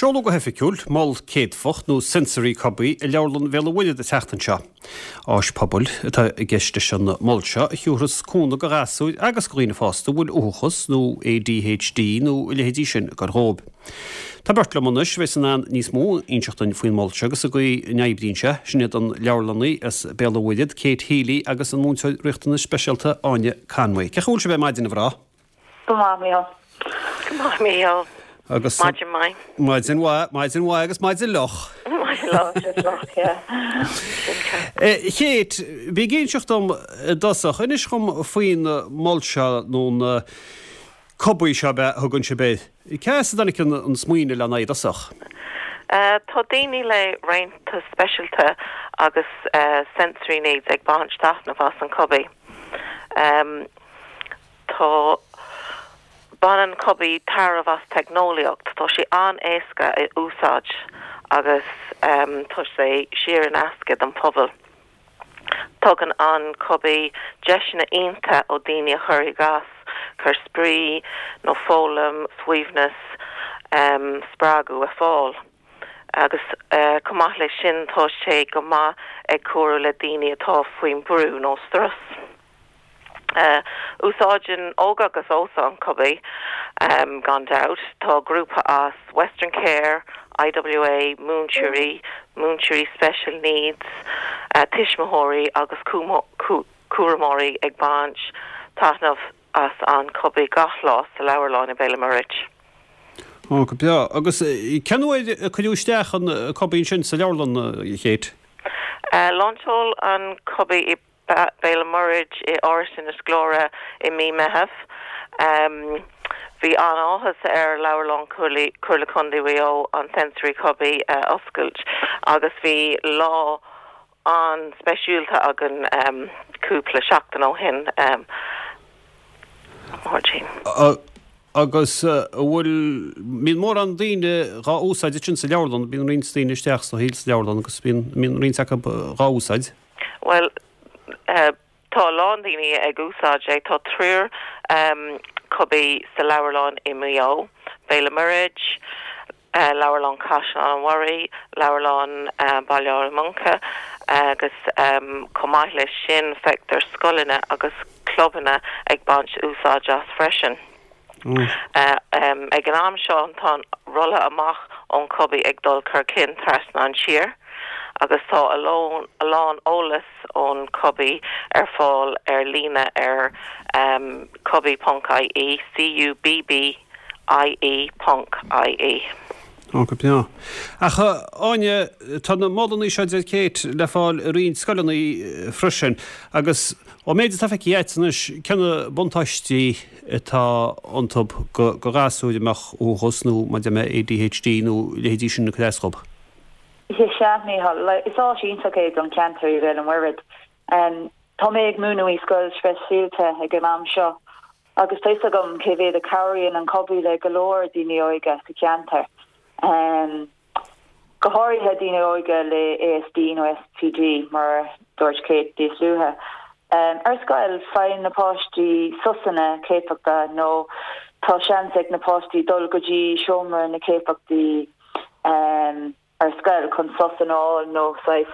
Seoladh go hoifigiúil Mol Céadfach nó Sensory Cubby i Leabharlann Bhéal an Mhuirthead an tseachtain seo. Áis pobail atá i gceist leis an mol seo a thiúrfas cúnamh do ghasúir agus do dhaoine fásta a bhfuil uathachas nó ADHD nó a leithéidí sin ag cur dhóibh. Tá beirt liom anois a bheas in ann níos mó a inseacht duinn faoin mol seo agus an gcaoi a n-oibríonn sé, sin iad an leabharlannaí as Béal an Mhuirthead, Kate Healy agus an múinteoir riachtanas speisialta Áine Conway. Cén chaoi a bhfuil sibh ar maidin, a mhná? Go maith, Mícheál. Go maith, Mícheál. Agus. Maidin mhaith. Maidin mhaith, maidin mhaith agus maidin fhliuch. Maidin fhliuch, yeah. A Kate, bí ag inseacht dom i dtosach, inis dhom faoin mol seo nó na cubaí seo ab ea a thugann sibh air. Cá as a dtáinig an smaoineamh lena aghaidh i dtosach? Tá daoine le riachtanais speisialta agus sensory needs ag baint taitneamh as an cubaí. Tá. Baineann Cubby tairbhe as teicneolaíocht. Tá sé an-éasca a úsáid agus tá sé saor in aisce don phobal. Tugann an Cubby deiseanna iontacha ó daoine a chur i gcás cur spraoi nó foghlaim, suaimhneas, spreagadh a fáil. Agus chomh maith leis sin tá sé go maith ag cabhrú le daoine atá faoin brú nó strus. Úsáideann óg agus aosta an Cubby, gan dabht. Tá grúpa as Western Care, IWA, múinteoirí, múinteoirí special needs, tuismitheoirí agus cúramóirí ag baint taitneamh as an Cubby gach lá sa leabharlann i Béal an Mhuirthead. Ó, go breá. Agus cén uair a cuireadh isteach an Cubby ansin sa leabharlann, a Kate? Lainseáil an Cubby i Béal an Mhuirthead i Áras Inis Gluaire i mí Meitheamh. Bhí an-áthas ar Leabharlann Chomhairle Contae Mhaigh Eo an Sensory Cubby a oscailt agus bhí lá an-speisialta againn cúpla seachtain ó shin. Máirtín. Agus an bhfuil, mbíonn mórán daoine dhá úsáid ansin sa leabharlann, bíonn roinnt daoine isteach sa sa leabharlann agus bíonn, mbíonn roinnt acu dhá úsáid? Bhuel, tá a lán daoine ag úsáid é. Tá triúr cubby sa leabharlann i Maigh Eo, Béal an Mhuirthead, Leabharlann Chaisleán an Bharraigh, Leabharlann Baile Átha Muncha agus chomh maith leis sin feictear scoileanna agus clubanna ag baint úsáid as freisin. Ag an am seo tá an rolladh amach ón Cubby ag dul chun cinn trasna an tír agus tá a lán eolas ón Cubby ar fáil ar líne ar cubby.ie, C-U-B-B-I-E ponc I-E. Ó, go breá. Ach, a Áine, tá na molanna seo, a deir Kate, le fáil i roinnt scoileanna freisin agus ón méid atá feicthe agat anois, cé na buntáistí atá iontu do ghasúir a mbeadh uathachas nó, mar a deir mé, ADHD nó a leithéidí sin ag cur as dhób? Is ea, Mícheál. Is áis iontach é don cheantar i Bhéal an Mhuirthead. Tá mé ag múineadh i scoil speisialta ag an am seo Agus tá fhios agam cé mhéad a cabhraíonn an Cubby le go leor daoine óige sa cheantar, go háirithe daoine óige le ASD nó SPD, mar a dúirt Kate níos luaithe. Ar scoil, faigheann na páistí sosanna céadfachta nó tá seans ag na páistí dul go dtí seomra na céadfachtaí ar scoil chun sos a fháil nó saghas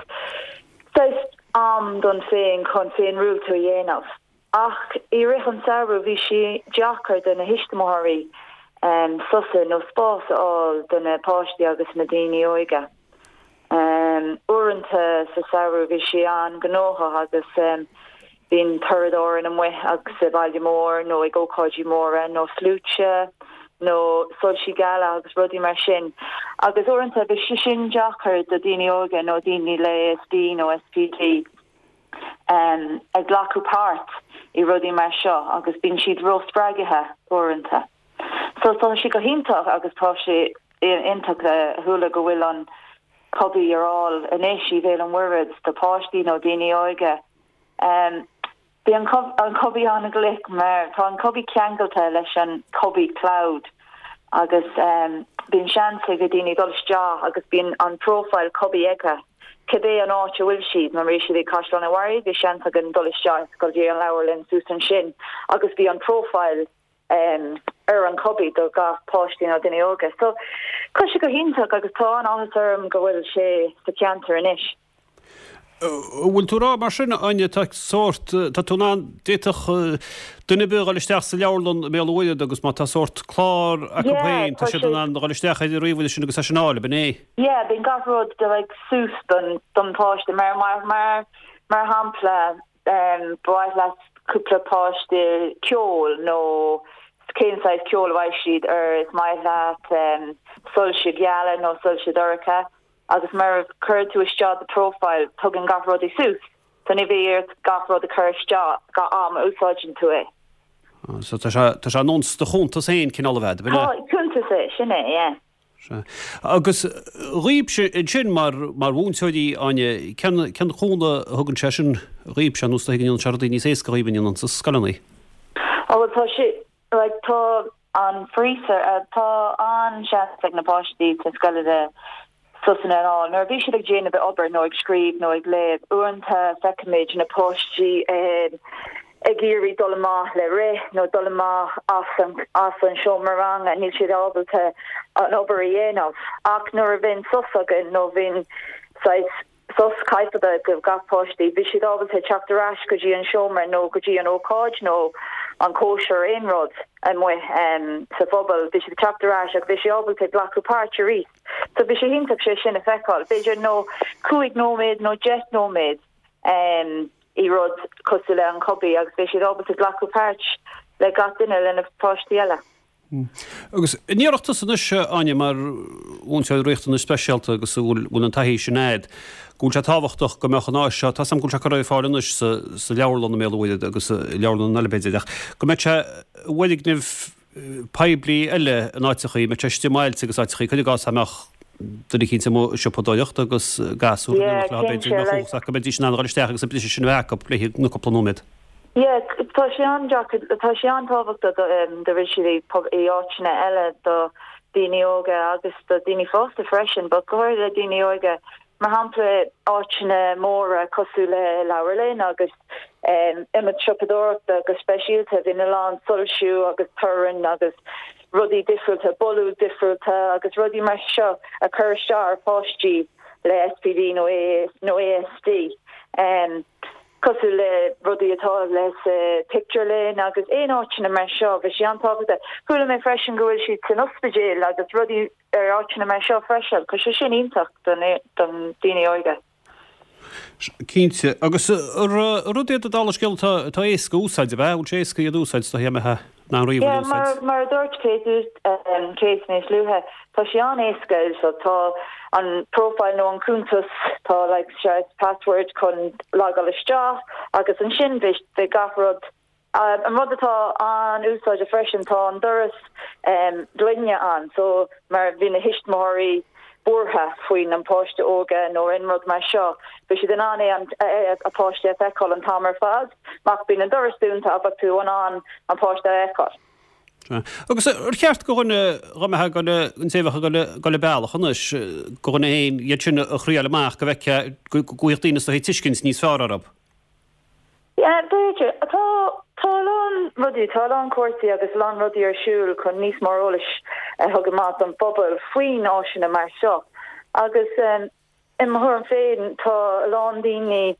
saghas am don féin chun féinrialtú a dhéanamh. Ach i rith an samhradh bhí sé deacair do na thuismitheoirí sosa nó spás a fháil do na páistí agus na daoine óige. Uaireanta sa samhradh bhí sé an-ghnóthach agus bíonn turasóirí amuigh agus sa bhaile mór nó ag ócáidí móra nó sluaite nó soilsí geala agus rudaí mar sin. Agus uaireanta bhí sé sin deacair do daoine óige nó daoine le ASD nó SPD. ag glacadh páirt i rudaí mar seo agus bíonn siad ró-spreagaithe uaireanta. So tá sé go hiontach agus tá sé iontach a chuala go bhfuil an Cubby ar fháil anois i Bhéal an Mhuirthead do páistí nó daoine óige. Bhí an Cubby an-ghlic mar tá an Cubby ceangailte leis an Cubby Cloud agus bíonn seans ag daoine dul isteach agus bíonn an profile Cubby acu. Cibé an áit a bhfuil siad, má bhí siad ag Caisleán an Bharraigh, bhí seans againn dul isteach go dtí an leabharlann suas ansin agus bhí an profile. ar an Cubbie do gach páistí nó duine óga. So tá sé go hiontach agus tá an-áthas orm go bhfuil sé sa cheantar anois. An bhfuil tú ag rá mar sin, Áine, tá sórt, tá tú in ann, d'fhéadfadh duine ar bith a dhul isteach sa leabharlann i mBéal an Mhuirthead agus má tá sórt clár acu féin, tá siad in ann a dhul isteach ar an ríomhaire sin agus é sin a fháil, ab in é? Yeah, bíonn gach rud de like suas don don pháiste mar mar mar mar shampla ba mhaith leat cúpla páiste ceol nó cén saghas ceol a bheidh siad ar is maith leat soilse geala nó soilse dorcha. Agus mar a chuireann tú isteach do profile tugann gach rudaí suas. So ní bheidh ort gach rud a chur isteach gach am a úsáideann tú é. So tá sé, tá sé ar nós do chuntas féin cineál a bheith, ab in é? Tá, cuntas é, sin é, yeah. Sea. Agus dhaoibhse ansin mar, mar mhúinteoirí, Áine, cén, cén cúnamh a thugann sé sin dhaoibhse, nó is dóigh go ndéanann sé rudaí níos éasca dhaoibh an ndéanann, sna scoileanna? Ó bhuel tá sé, like tá an freezer, tá an-seans ag na páistí sna scoileanna sosanna a fháil. Nuair a bhí siad ag déanamh obair nó ag scríobh nó ag léamh, uaireanta feicimid na páistí ag iarraidh dul amach le rith nó dul amach as an as an seomra ranga, níl siad ábalta an obair a dhéanamh. Ach nuair a bhíonn sos againn nó bhíonn saghas sos coicíse do gach páistí. Bhí siad ábalta teacht ar ais go dtí an seomra nó go dtí an ócáid nó an cóisir aon rud amuigh sa phobal. Bhí siad ag teacht ar ais agus bhí siad ábalta glacadh páirt arís. So bhí sé iontach sé sin a feiceáil. B'fhéidir nó 5 nóiméad nó 10 nóiméad i rud cosúil le an Cubbie agus bhí siad ábalta glacadh páirt le gach duine le na páistí eile. Agus an ndéarfadh tusa anois, Áine, mar mhúinteoir riachtanais speisialta agus a bhfuil an taithí sin a'd, go bhfuil sé tábhachtach go mbeadh an áis seo, tá 's a'm go bhfuil sé curtha ar fáil anois sa leabharlann i mBéal an Mhuirthead agus i leabharlann eile b'fhéidir, ach go mbeadh sé i bhfoirgnimh poiblí eile in áiteachaí, mbeadh sé istigh i mbailte agus áiteachaí, cuir i gcás dá mbeadh duine eicínt amuigh ag siopadóireacht agus gasúr in éineacht leo b'fhéidir, mbeadh fhios acu go mbeidís in ann a dhul isteach agus an briseadh sin a bheith acu le haghaidh na cúpla nóiméad. Yeah, tá sé an-deacair, tá sé an-tábhachtach do do bhfuil siad i áiteanna eile do daoine óga agus do daoine fásta freisin, but go háirithe le daoine óga, mar shampla áiteanna móra cosúil le leabharlann agus ionaid siopadóireachta go speisialta, bíonn a lán soilsiú agus torann agus rudaí difriúlta, boladh difriúlta agus rudaí mar seo a chur isteach ar pháistí le SPD nó nó ASD. Cosúil le rudaí atá le sa pictiúrlann agus aon áiteanna mar seo, bhí sé an-tábhachtach. Chuala mé freisin go bhfuil siad san ospidéal agus rudaí ar áiteanna mar seo freisin. Tá sé sin iontach don daoine óga. Cinnte. Agus rud iad dála an scéil atá éasca a úsáid, ab ea? Bhfuil sé éasca iad a úsáid, is dóigh, mbeifeá in ann ríomhaire a úsáid? Mar a dúirt Kate níos luaithe, tá sé an-éasca. So tá an profile nó an cuntas, tá like saghas password chun logáil isteach agus ansin beidh gach rud. An rud atá an-úsáideach freisin, tá an doras gloine ann so mar bhí na thuismitheoirí buartha faoin an páiste óga nó aon rud mar seo, bhí siad in ann é an a páiste a feiceáil an t-am ar fad, ach bíonn an doras dúnta ach bheadh tú in ann an páiste a fheiceáil. Agus ar cheart go dhuine dá mbeifeá ag dul, an té a bheadh ag dul, dul an bealach anois, go dhuine féin iad sin a thriáil amach go bhfeicfeá, go bhfaigheadh daoine is dóichí tuiscint níos fearr orthu? Yeah, b'fhéidir. Tá, tá a lán rudaí, tá a lán cúrsaí agus a lán rudaí ar siúl chun níos mó eolais a thug amach don phobal faoin áiseanna mar seo. Agus i mo thuairim féin, tá a lán daoine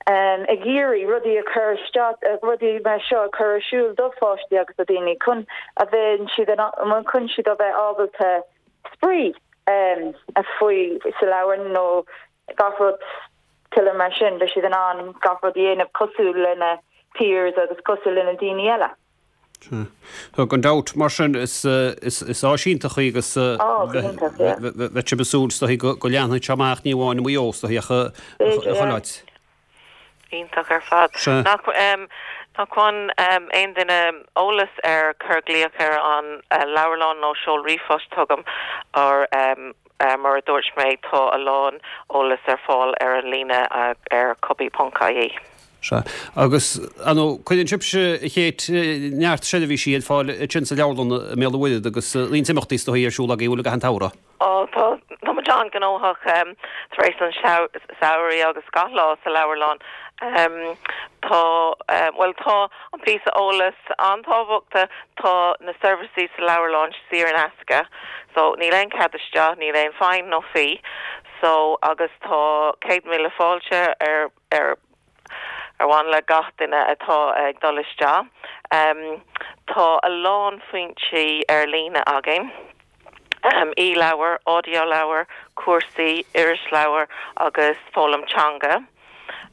ag iarraidh rudaí a chur isteach, rudaí mar seo a chur ar siúl do pháistí agus do daoine chun a bheith siad in ann, chun siad a bheith ábalta spraoi a faoi sa leabharlann nó gach rud tuilleadh mar sin, beidh siad in ann gach rud a dhéanamh cosúil lena peers agus cosúil lena daoine eile. Sea. Gan dabht, mar sin, is áis iontach í agus bheadh sibh ag súil is dóichí go leanfaidh sé amach ní amháin i Maigh Eo is dóichí ach i chuile áit. Iontach ar fad. Nach nach bhfaigheann aon duine eolas ar cuir glaoch ar an leabharlann nó seol ríomhphost chugam or Mar a dúirt mé, tá a lán eolas ar fáil ar an líne ar cubbie.ie. Sea. Agus, ar ndóigh, cuireann sibhse, a Kate, neart seirbhísí ar fáil ansin sa leabharlann i mBéal an Mhuirthead agus roinnt imeachtaí is dóichí ar siúl agaibh, an bhfuil, i gcaitheamh an tsamhraidh? Ó, tá, tá muid an-ghnóthach tar éis an samhraidh agus gach lá sa leabharlann. Tá, bhuel tá an píosa eolas an-tábhachtach, tá na seirbhísí sa leabharlann saor in aisce so níl aon cead isteach, níl aon fine nó fee so agus tá 100,000 fáilte ar ar ar mhaith le gach duine atá ag dul isteach. Tá a lán foinsí ar líne againn. e-leabhair, audio-leabhair, cúrsaí, irisleabhair agus foghlaim teanga.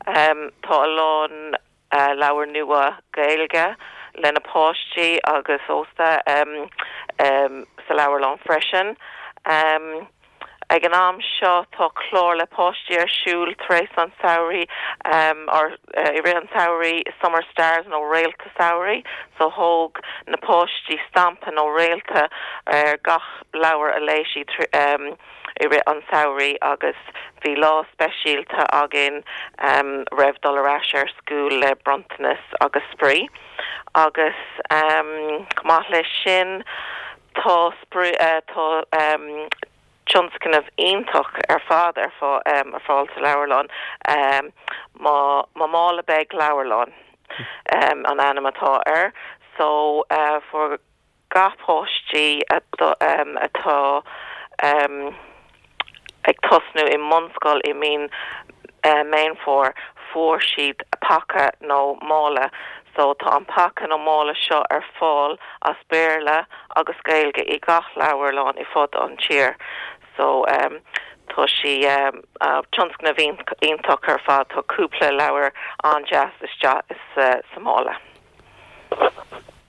Tá a lán leabhar nua Gaeilge le na páistí agus ósta sa leabharlann freisin. Ag an am seo tá clár le páistí ar siúl tar éis an samhraidh, or i rith an tsamhraidh, Summer Stars nó Réalta Samhraidh. So thóg na páistí stampa nó réalta ar gach leabhar a léigh siad i rith an tsamhraidh agus bhí lá speisialta againn roimh dul ar ais ar school le bronntanas agus spraoi. Agus chomh maith leis sin tá spraoi, tá tionscnamh iontach ar fad ar fáil sa leabharlann, Mo Mála Beag Leabharlann an ainm atá air. So fuair gach páistí atá ag tosnú i mbunscoil i mí Meán Fómhair, fuair siad paca nó mála. So tá an paca nó mála seo ar fáil as Béarla agus Gaeilge i gach leabharlann i fud an tír. So tá sí tionscnamh iontach ar fad. Tá cúpla leabhar an-deas isteach sa mála.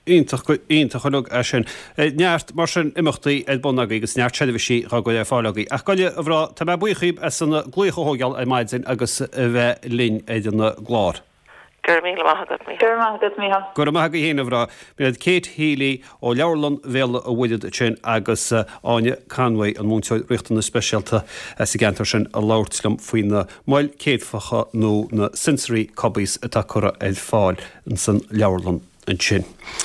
Iontach, iontach uilig é sin. Neart mar sin imeachtaí ar bun agaibh agus neart seirbhísí dhá gcur ar fáil agaibh. Ach gabh i leith, a mhná, tá mé buíoch dhíbh as an glaoch a thógáil ar maidin agus a bheith linn ar an gclár. Go raibh míle maith agat, Mícheál. Go raibh maith agat, Mícheál. Go raibh maith agaibh féin, a mhná. B'iad Kate Healy ó Leabharlann Bhéal an Mhuirthead ansin agus Áine Conway, an múinteoir riachtanas speisialta sa gceantar sin, ag labhairt liom faoi na moil céadfacha nó na sensory cubbies atá curtha ar fáil insan leabharlann ansin.